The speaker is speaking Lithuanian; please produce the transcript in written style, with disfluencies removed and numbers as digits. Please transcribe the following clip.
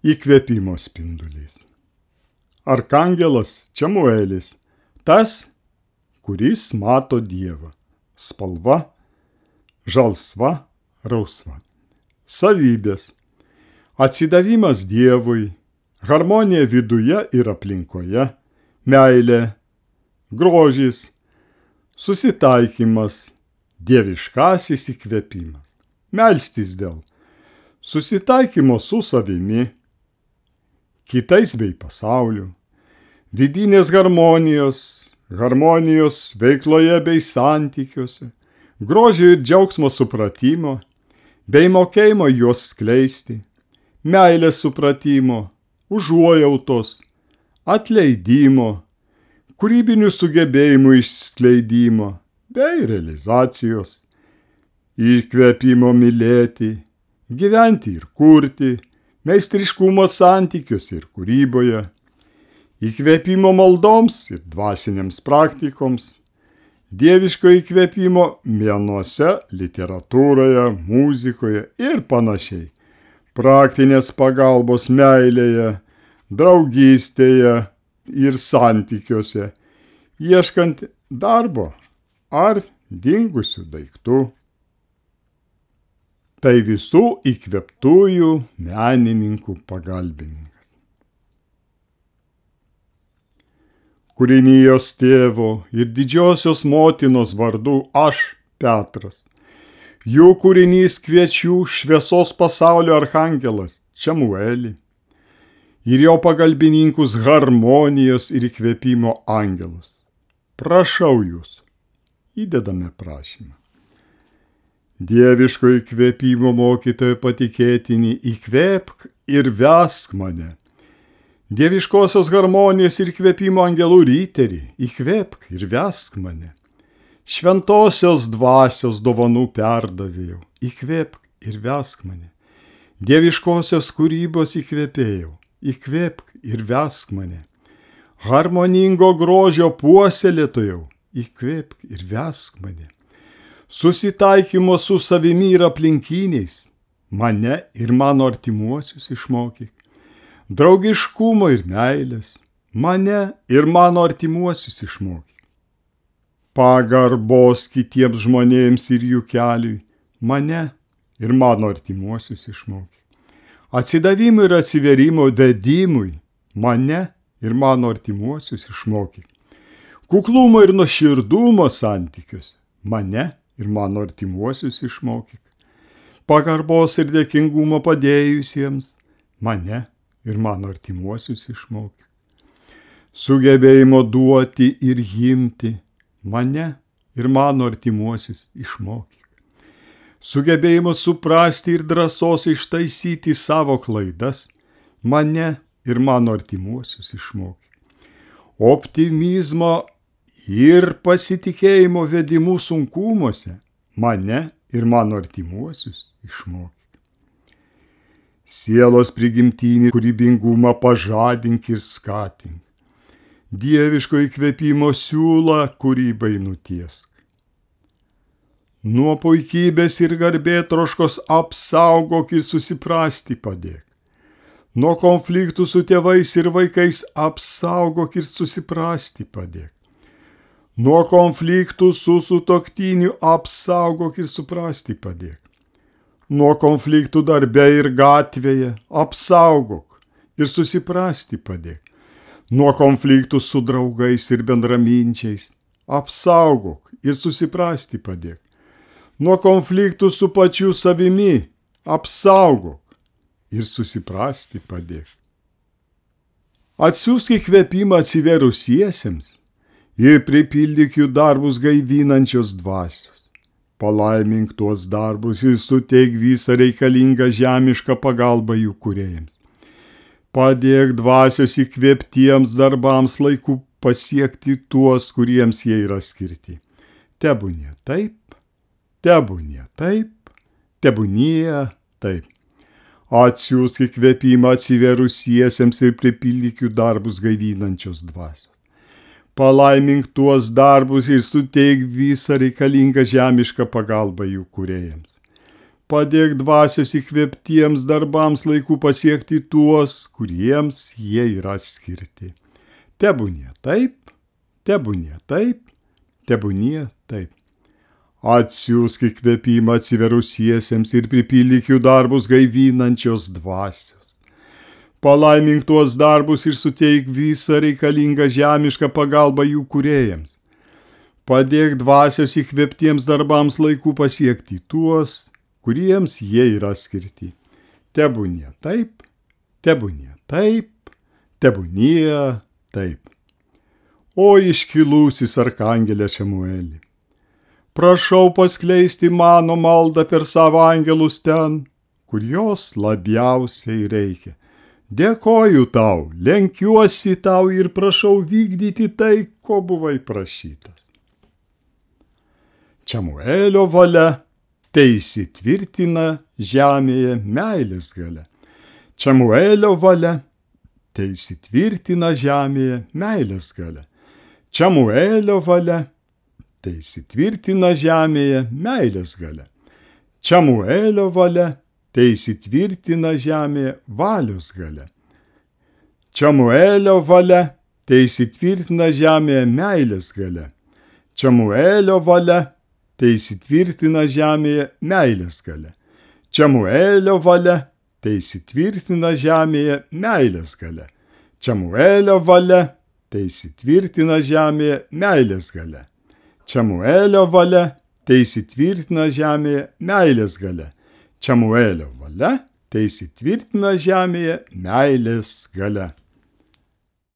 įkvėpimo spindulys. Arkangelas Čemuelis, tas, kuris mato Dievą. Spalva žalsva, rausva. Savybės: atsidavimas Dievui, harmonija viduje ir aplinkoje, meilė, grožis, susitaikymas, dieviškasis įkvėpimas. Melstis dėl susitaikymo su savimi, kitais bei pasauliu, vidinės harmonijos veikloje bei santykiuose, grožio ir džiaugsmo supratimo, bei mokėjimo juos skleisti, meilės supratimo, užuojautos, atleidimo, kūrybinių sugebėjimų išskleidimo bei realizacijos, įkvėpimo mylėti, gyventi ir kurti, meistriškumo santykiuose ir kūryboje, įkvėpimo maldoms ir dvasinėms praktikoms, dieviško įkvėpimo menuose, literatūroje, muzikoje ir panašiai, praktinės pagalbos meilėje, draugystėje ir santykiuose, ieškant darbo ar dingusių daiktų. Tai visų įkvėptųjų menininkų pagalbininkas. Kūrinijos tėvo ir didžiosios motinos vardu aš, Petras, jų kūrinys kviečių šviesos pasaulio arkangelas Čemuelį ir jo pagalbininkus harmonijos ir įkvėpimo angelus. Prašau jūs, įdedame prašymą. Dieviško įkvėpimo mokytojo patikėtinį, įkvėpk ir vesk mane. Dieviškosios harmonijos ir įkvėpimo angelų ryterį, įkvėpk ir vesk mane. Šventosios dvasios dovanų perdavėjau, įkvėpk ir vesk mane. Dieviškosios kūrybos įkvėpėjau, įkvėpk ir vesk mane. Harmoningo grožio puoselėtojau, įkvėpk ir vesk mane. Susitaikymo su savimi ir aplinkiniais, mane ir mano artimuosius išmokyk. Draugiškumo ir meilės, mane ir mano artimuosius išmokyk. Pagarbos kitiems žmonėms ir jų keliui, mane ir mano artimuosius išmokyk. Atsidavimo ir atsiverimo vedimui, mane ir mano artimuosius išmokyk. Kuklumo ir nuoširdumo santykiuose, mane ir mano artimuosius išmokyk. Pagarbos ir dėkingumo padėjusiems, mane ir mano artimuosius išmokyk. Sugebėjimo duoti ir imti, mane ir mano artimuosius išmokyk. Sugebėjimo suprasti ir drąsos ištaisyti savo klaidas, mane ir mano artimuosius išmokyk. Optimizmo ir pasitikėjimo vedimų sunkumuose, mane ir mano artimuosius išmokyk. Sielos prigimtinį kūrybingumą pažadink ir skatink. Dieviško įkvėpimo siūlą kūrybai nutiesk. Nuo puikybės ir garbėtroškos apsaugok ir susiprasti padėk. Nuo konfliktų su tėvais ir vaikais apsaugok ir susiprasti padėk. Nuo konfliktų su sutuoktiniu apsaugok ir suprasti padėk. Nuo konfliktų darbe ir gatvėje apsaugok ir susiprasti padėk. Nuo konfliktų su draugais ir bendraminčiais apsaugok ir susiprasti padėk. Nuo konfliktų su pačiu savimi apsaugok ir susiprasti padėk. Atsiųsk įkvėpimą atsiverusiesiems ir pripildyk jų darbus gaivinančios dvasios. Palaimink tuos darbus ir suteik visą reikalingą žemišką pagalbą jų kūrėjams. Padėk dvasios įkvėptiems darbams laiku pasiekti tuos, kuriems jie yra skirti. Tebūnie taip, tebūnie taip, tebūnie taip. Atsiųsk įkvėpimą atsiverusiesiems ir pripildyk jų darbus gaivinančios dvasios. Palaimink tuos darbus ir suteik visą reikalingą žemišką pagalbą jų kūrėjams. Padėk dvasios įkvėptiems darbams laiku pasiekti tuos, kuriems jie yra skirti. Tebūnie taip, tebūnie taip, tebūnie taip. Atsiųsk įkvėpimą atsiverusiesiems ir pripildyk jų darbus gaivinančios dvasios. Palaimink tuos darbus ir suteik visą reikalingą žemišką pagalbą jų kūrėjams. Padėk dvasios įkvėptiems darbams laiku pasiekti tuos, kuriems jie yra skirti. Tebūnie taip, tebūnie taip, tebūnie taip. O iškilusis arkangelė Šemueli, prašau paskleisti mano maldą per savo angelus ten, kur jos labiausiai reikia. Dėkoju tau, lenkiuosi tau ir prašau vykdyti tai, ko buvai prašytas. Šemuelio valia teįsitvirtina žemėje meilės galia. Šemuelio valia teįsitvirtina žemėje meilės galia. Šemuelio valia teįsitvirtina žemėje meilės galia. Šemuelio valia teįsitvirtina žemėje valios galia. Šemuelio valia teįsitvirtina žemėje meilės galia. Šemuelio valia teįsitvirtina žemėje meilės galia. Šemuelio valia teįsitvirtina žemėje meilės galia. Šemuelio valia teįsitvirtina žemėje meilės galia. Šemuelio valia teįsitvirtina žemėje meilės galia. Šemuelio valia teįsitvirtina žemėje meilės galia.